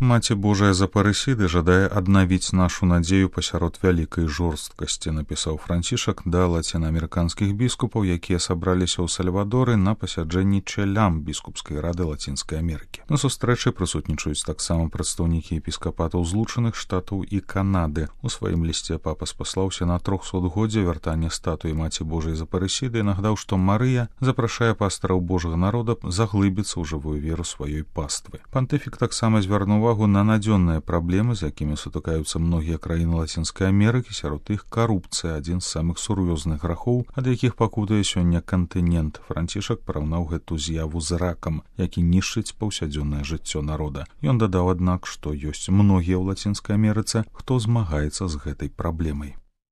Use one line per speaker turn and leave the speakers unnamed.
Маці Божая з Апарысіды жадае аднавіць нашу надзею пасярод вялікай жорсткасці, напісаў Францішак да лацінаамерыканскіх біскупаў, якія сабраліся ў Сальвадоры на пасяджэнні Чэлям біскупскай рады Лацінскай Амерыкі. На сустрэчы прысутнічаюць таксама прадстаўнікі епіскапатаў Злучаных Штатаў і Канады. У сваім лісце папа спаслаўся на 300годдзе вяртання статуі Маці Божай з Апарысіды і нагадаў, што Марыя запрашае пастыраў Божага народа заглыбіцца ў жывую веру сваёй паствы. Пантыфік таксама звярнуў увагу на надзённыя праблемы, з якімі сутыкаюцца многія краіны Лацінскай Амерыкі, сярод іх карупцыя, адзін з самых сур'ёзных грахоў, ад якіх пакутуе сёння кантынент. Францішак параўнаў гэту з'яву з ракам, які нішчыць паўсядзённае жыццё народа. Ён дадаў, аднак, што ёсць многія ў Лацінскай Амерыцы, хто змагаецца з гэтай праблемай.